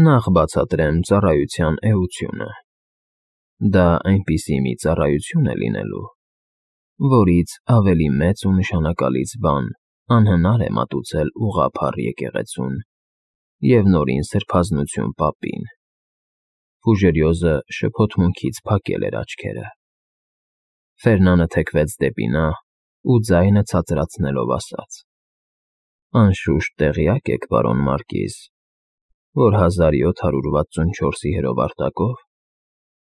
Նախ բացատրեմ ծառայության էությունը։ Դա այնպիսի մի ծառայություն է լինելու, որից ավելի մեծ ու նշանակալից բան անհնար է մատուցել ուղղափառ եկեղեցուն և նորին սրբազնություն պապին։ Ֆուժերիոզը շփոթմունքից փակել էր աչքերը։ Ֆերնանը թեքվեց դեպի նա ու ձայնը ցածրացնելով ասաց. «Անշուշտ տեղյակ եք, պարոն Մարկիզ, որ 1764-ի հրովարտակով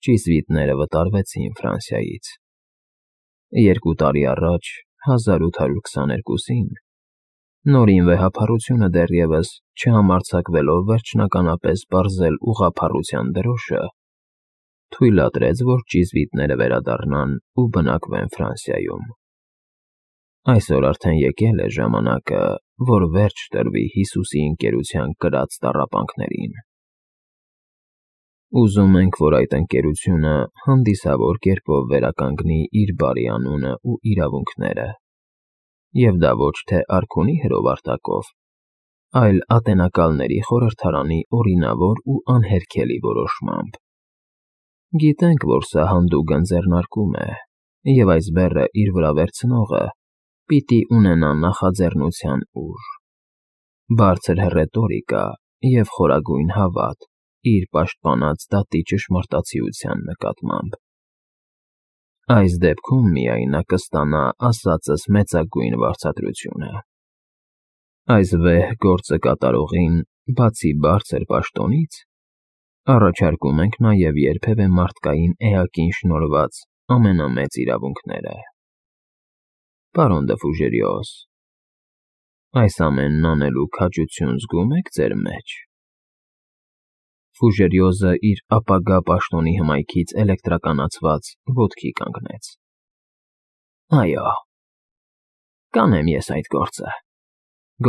ճիզվիտները վտարվեցին Ֆրանսիայից։ 2 տարի առաջ, 1822-ին, նորին վեհափառությունը դեռևս չհամարձակվելով վերջնականապես պարզել ուղղափառության դրոշը, թույլատրեց, որ ճիզվիտները վերադառնան ու բնակվեն Ֆրանսիայում։ Այսօր արդեն եկել է ժամանակը, որ վերջ տրվի Հիսուսի ընկերության կրած տառապանքներին։ Ուզում ենք, որ այդ ընկերությունը հանդիսավոր կերպով վերականգնի իր բարի անունը ու իրավունքները, և դա ոչ թե արքունի հրովարտակով, այլ Ատենակալների խորհրդարանի օրինավոր ու անհերքելի որոշմամբ։ Գիտենք, որ սա հանդուգն ձեռնարկում է, և այս բեռը իր վրա վերցնողը պիտի ունենա նախաձեռնության ուժ, բարձր հռետորիկա և խորագույն հավատ իր պաշտպանած դատի ճշմարտացիության նկատմամբ։ Այս դեպքում միայն նա կստանա ասածս մեծագույն վարձատրությունը։ Այս վեհ գործը կատարողին, բացի բարձր պաշտոնից, առաջարկում ենք նաև երբևէ մարդկային էակին շնորհված ամենամեծ իրավունքները։ Պարոն դը Ֆուժերիոզ, այս ամենն անելու քաջություն զգո՞ւմ եք ձեր մեջ։ Ֆուժերիոզը իր ապագա պաշտոնի հմայքից էլեկտրականացված ոտքի կանգնեց։ Այո, կանեմ ես այդ գործը,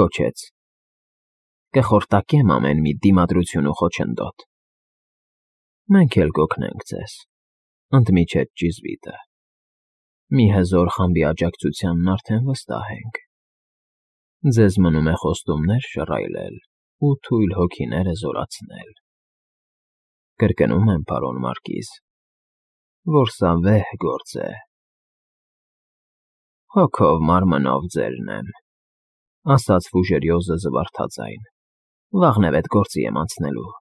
գոչեց։ Կխորտակեմ ամեն մի դիմադրություն ու խոչընդոտ։ Մենք էլ կօգնենք ձեզ, ընդմիջեց ճիզվիտը։ Մի հզոր խմբի աջակցությանն արդեն վստահ ենք։ Ձեզ մնում է խոստումներ շռայլել ու թույլ հոգիները զորացնել։ Կրկնում եմ, պարոն Մարկիզ, որ սա վեհ գործ է։ Հոգով մարմնով ձերն եմ, ասաց Ֆուժերիոզը զվարթաձայն։ Վաղն գործի եմ անցնելու։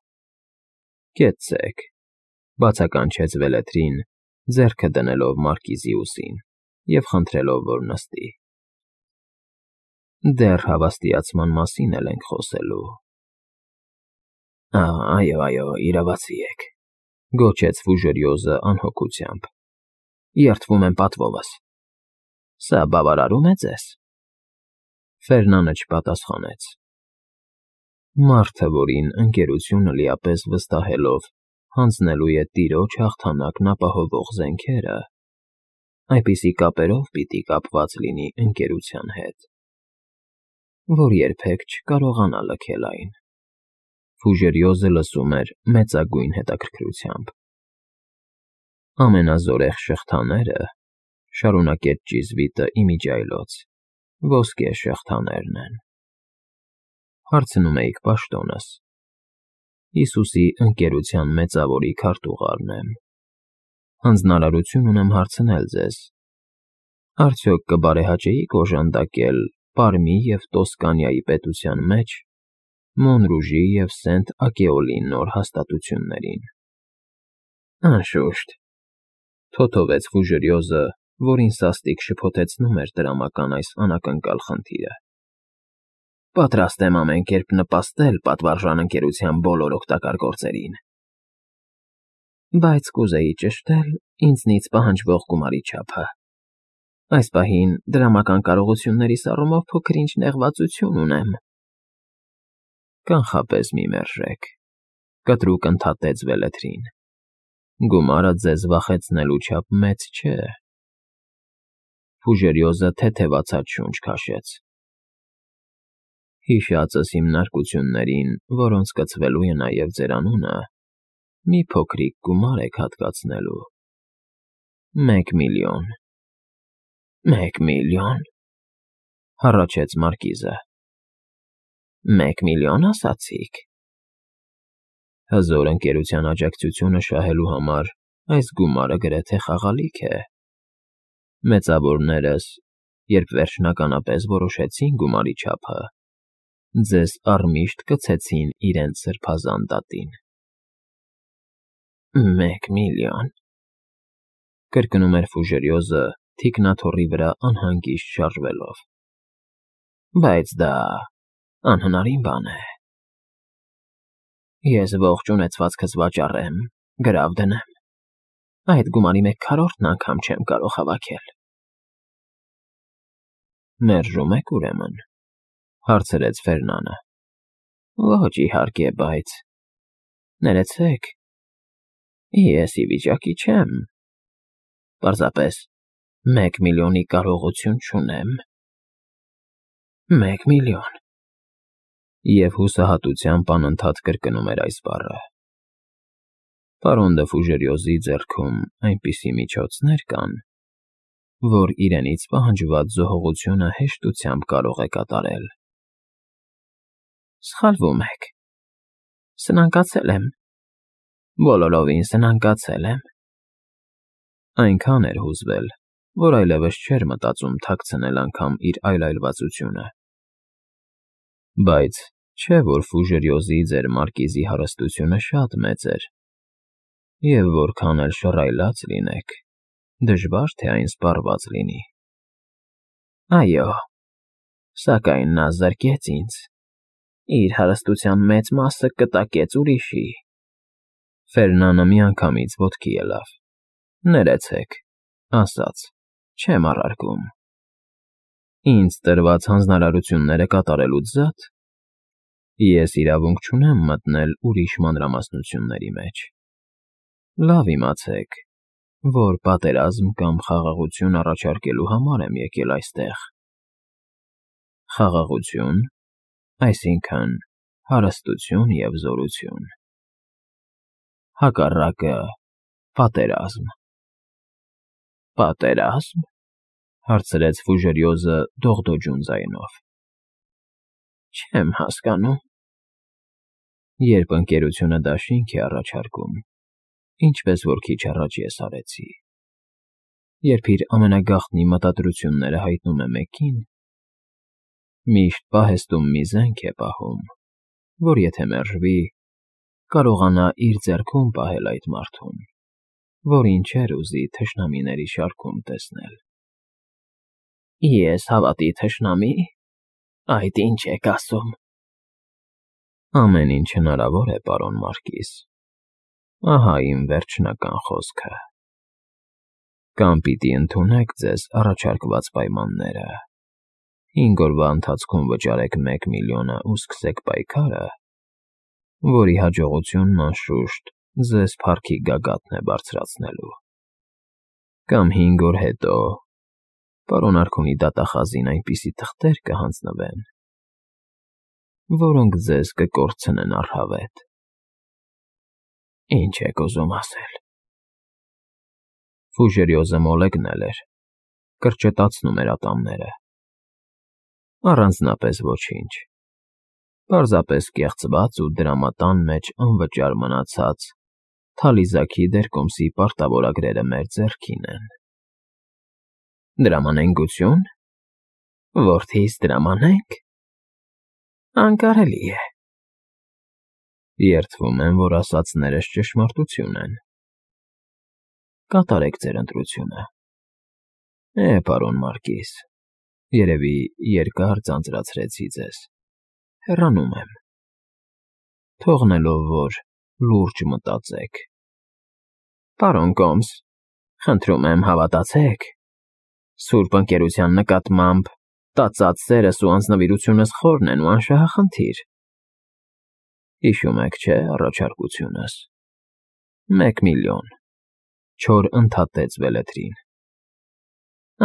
Կեցցեք, բացականչեց Վելեթրին, ձեռքը դնելով Մարկիզի ուսին և խնդրելով, որ նստի։ Դեռ հավաստիացման մասին էլ ենք խոսելու։ Այո, իրավացի եք, գոչեց Ֆուժերիոզը անհոգությամբ։ Երդվում եմ պատվովս։ Սա բավարարում է ձեզ։ Ֆերնանը չպատասխանեց։ Մարդը, որին ընկերությունը լիապես վստահելով հանձնելու է տիրոջ հաղթանակն ապահովող զենքերը, այնպիսի կապերով պիտի կապված լինի ընկերության հետ, որ երբեք չկարողանա լքել այն։ Ֆուժերիոզը լսում էր մեծագույն հետաքրքրությամբ։ Ամենազորեղ շղթաները, շարունակեց ճիզվիտը իմիջիայլոց, ոսկե շղթաներն են։ Հարցնում էիք պաշտոնս։ Հիսուսի ընկերության մեծավորի քարտուղարն եմ։ Հանձնարարություն ունեմ հարցնել ձեզ. արդյոք կբարեհաճեիք օժանդակել Պարմի և Տոսկանիայի պետության մեջ Մոնրուժի և Սենտ Ակեոլի նոր հաստատություններին։ Անշուշտ, թոթովեց Ֆուժերիոզը, որին սաստիկ շփոթեցնում էր տրամական այս անակնկալ խնդիրը։ Պատրաստ եմ ամեն կերպ նպաստել պատվարժան ընկերության բոլոր օգտակար գործերին։ Բայց կուզեի ճշտել ինձնից պահանջվող գումարի չափը։ Այս պահին դրամական կարողություններիս առումով փոքր-ինչ նեղվածություն ունեմ։ Կանխապես մի մերժեք, կտրուկ ընդհատեց Վելեթրին։ Գումարը ձեզ վախեցնելու չափ մեծ չէ։ Ֆուժերիոզը թեթևացած շունչ քաշեց։ Հիշածս հիմնարկություններին, որոնց կցվելու է նաև ձեր անունը, մի փոքրիկ գումար եք հատկացնելու։ 1 միլիոն։ 1 միլիոն, հառաչեց Մարկիզը։ 1 միլիոն ասացիք։ Հզոր ընկերության աջակցությունը շահելու համար այս գումարը գրեթե խաղալիք է։ Մեծավորներս, երբ վերջնականապես որոշեցին գումարի չափը, ձեզ առմիշտ կցեցին իրենց սրբազան դատին։ 1 միլիոն, կրկնում էր Ֆուժերիոզը թիկնաթոռի վրա անհանգիստ շարժվելով։ Բայց դա անհնարին բան է։ Ես ողջ ունեցվածքս վաճառեմ, գրավ դնեմ։ Այդ գումարի 1/4-ն անգամ չեմ կարող հավաքել։ Մերժում եք ուրեմն, հարցրեց Ֆերնանը։ Ոչ, իհարկե, բայց… Ներեցեք, ես ի վիճակի չեմ։ Պարզապես 1 միլիոնի կարողություն չունեմ։ 1 միլիոն… Եվ հուսահատությամբ անընդհատ կրկնում էր այս բառը։ Պարոն դը Ֆուժերիոզի ձեռքում այնպիսի միջոցներ կան, որ իրենից պահանջված զոհողությունը հեշտությամբ կարող է կատարել։ Սխալվում եք։ Սնանկացել եմ։ Բոլորովին սնանկացել եմ։ Այնքան էր հուզվել, որ այլևս չէր մտածում թաքցնել անգամ իր այլայլվածությունը։ Բայց չէ՞ որ Ֆուժերիոզի ձեր մարկիզի հարստությունը շատ մեծ էր, և որքան էլ շռայլած լինեք, դժվար թե այն սպառված լինի։ Այո, սակայն նա զրկեց ինձ, իր հարստության մեծ մասը կտակեց ուրիշի։ Ֆերնանը միանգամից ոտքի ելավ։ Ներեցեք, ասաց, չեմ առարկում։ Ինձ տրված հանձնարարությունները կատարելուց զատ, ես իրավունք չունեմ մտնել ուրիշ մանրամասնությունների մեջ։ Լավ իմացեք, որ պատերազմ կամ խաղաղություն առաջարկելու համար եմ եկել այստեղ։ Խաղաղություն, այսինքն հարստություն և զորություն։ Հակառակը պատերազմ։ Պատերազմ… հարցրեց Ֆուժերիոզը դողդոջուն ձայնով։ Չեմ հասկանում։ Երբ ընկերությունը դաշինք է առաջարկում, ինչպես որ քիչ առաջ ես արեցի, երբ իր ամենագաղտնի մտադրությունները հայտնում է մեկին, միշտ պահեստում մի զենք է պահում, որ եթե մերժվի, կարողանա իր ձեռքում պահել այդ մարդուն, որին չէր ուզի թշնամիների շարքում տեսնել։ Ես հավատի թշնամի՞… Այդ ինչ եք ասում։ Ամեն ինչ հնարավոր է, պարոն մարկիզ։ Ահա իմ վերջնական խոսքը։ Կամ պիտի ընդունեք ձեզ առաջարկված պայմանները, 5 օրվա ընթացքում վճարեք 1 միլիոնը ու սկսեք պայքարը, որի հաջողությունն անշուշտ ձեզ փառքի գագաթն է բարձրացնելու։ Կամ 5 օր հետո պարոն արքունի դատախազին այնպիսի թղթեր կհանձնվեն, որոնք ձեզ կկորցնեն առհավետ։ Ինչ եք ուզում ասել։ Ֆուժերիոզը մոլեգնել էր, կրճտացնում էր ատամները։ Առանձնապես ոչինչ։ Պարզապես կեղծված ու դրամատան մեջ անվճար մնացած թալիզաքի դերկոմսի պարտավորագրերը մեր ձեռքին են։ Դրամանենգություն… Որդիս դրամանենք… Անկարելի է։ Երդվում եմ, որ ասածներս ճշմարտություն են։ Կատարեք ձեր ընտրությունը։ Պարոն մարկիզ, երևի երկար ձանձրացրեցի ձեզ։ Հեռանում եմ, թողնելով, որ լուրջ մտածեք։ Պարոն Կոմս, խնդրում եմ հավատացեք, սուրբ ընկերության նկատմամբ տածած սերս ու անձնվիրությունս խորն են ու անշահախնդիր։ Հիշում եք, չէ՞, առաջարկությունս։ 1 միլիոն, չոր ընդհատեց Վելեթրին։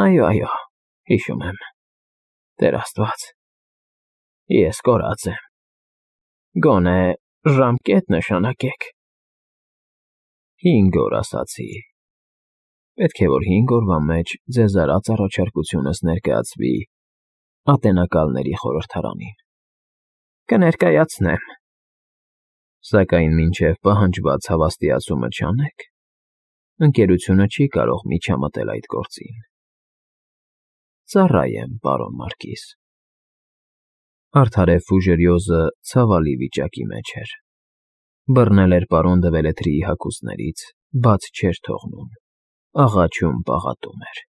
Այո, հիշում եմ։ Տեր Աստված, ես կորած եմ։ Գոնե ժամկետ նշանակեք։ 5 օր ասացի։ Պետք է որ 5 օրվա մեջ ձեզ արած առաջարկությունս ներկայացվի Ատենակալների խորհրդարանին։ Կներկայացնեմ։ Սակայն մինչև պահանջված հավաստիացումը չանեք, ընկերությունը չի կարող միջամտել այդ գործին։ Ծառա եմ, պարոն Մարկիս։ Արդարև Ֆուժերիոզը ցավալի վիճակի մեջ էր։ Բռնել էր պարոն դե Վելետրիի հագուստներից, բաց չէր թողնում, աղաչում պաղատում էր։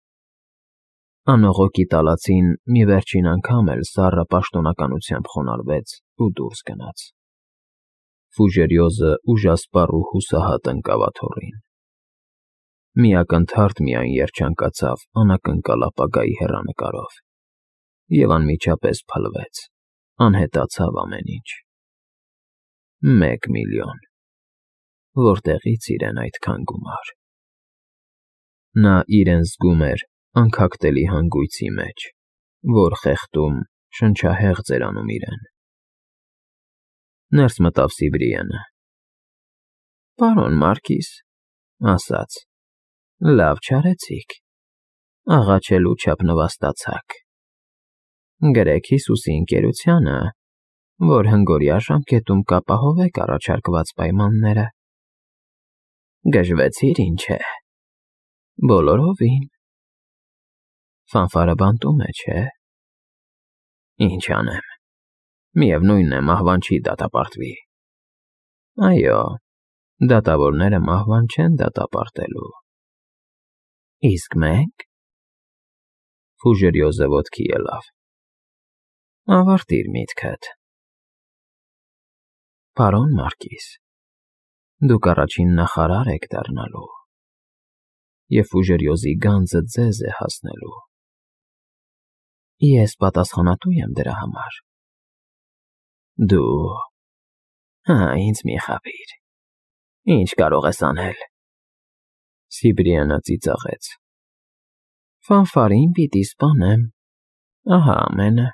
Անողոքի տալածին մի վերջին անգամ էլ սառը պաշտոնականությամբ խոնարհվեց ու դուրս գնաց։ Ֆուժերիոզը ուժասպառ ու հուսահատ ընկավ աթոռին։ Մի ակնթարթ միայն երջանկացավ անակնկալ ապագայի հեռանկարով և անմիջապես փլվեց, անհետացավ ամեն ինչ։ 1 միլիոն… Որտեղի՞ց իրեն այդքան գումար։ Նա իրեն զգում էր անքակտելի հանգույցի մեջ, որ խեղդում, շնչահեղձ էր անում իրեն։ Ներս մտավ Սիբրիենը։ Պարոն Մարկիս, ասաց, լավ չարեցիք, աղաչելու չափ նվաստացաք։ Գրեք Հիսուսի ընկերությանը, որ հնգօրյա ժամկետում կապահովեք առաջարկված պայմանները։ Գժվեցիր, ինչ է։ Բոլորովին։ Ֆանֆարը բանտում է, չէ։ Ինչ անեմ, միևնույն է, մահվան չի դատապարտվի։ Այո, դատավորները մահվան չեն դատապարտելու։ Իսկ մենք… Ֆուժերիոզը ոտքի ելավ։ Ավարտիր միտքդ։ Պարոն Մարկիս, դուք առաջին նախարար եք դառնալու, և Ֆուժերիոզի գանձը ձեզ է հասնելու։ Ես պատասխանատու եմ դրա համար։ Դու… Ինձ մի խաբիր։ Ինչ կարող ես անել։ Սիբրիանը ծիծաղեց։ Ֆանֆարին պիտի սպանեմ, ահա ամենը։